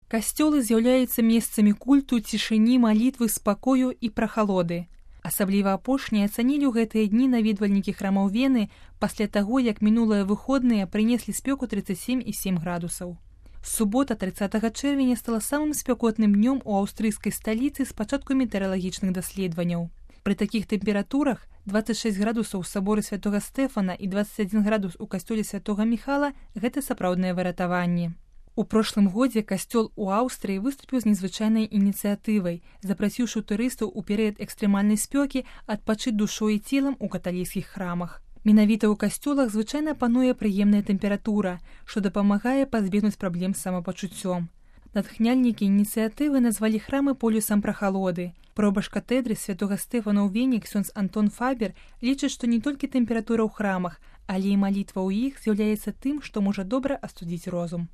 Касцёлы з'яўляюцца месцамі культу, цішыні, малітвы, спакою і прахалоды. Асабліва апошнія ацанілі ў гэтыя дні наведвальнікі храмаў Вены пасля таго, як мінулыя выходныя прынеслі спёку 37,7 градусаў. Субота 30 чэрвеня стала самым спякотным днём у аўстрыйскай сталіцы з пачатку метэаралагічных даследаванняў. Пры такіх тэмпературах 26 градусаў у саборы святога Стэфана і 21 градус у касцёле святога Міхала – гэта сапраўднае выратаванне. У прошлым годзе касцёл у Аўстрыі выступіў з незвычайнай ініцыятывай, запрасіўшы турыстаў у перыяд экстрэмальнай спёкі адпачыць душой і целам у каталіцкіх храмах. Менавіта ў касцёлах звычайна пануе прыемная тэмпература, што дапамагае пазбегнуць праблем з самапачуццём. Натхняльнікі ініцыятывы назвалі храмы полюсам прахалоды. Пробаш катэдры святога Стэфана ў Вене ксёндз Антон Фабер лічыць, што не толькі тэмпература ў храмах, але і малітва ў іх з'яўляецца тым, што можа добра астудзіць розум.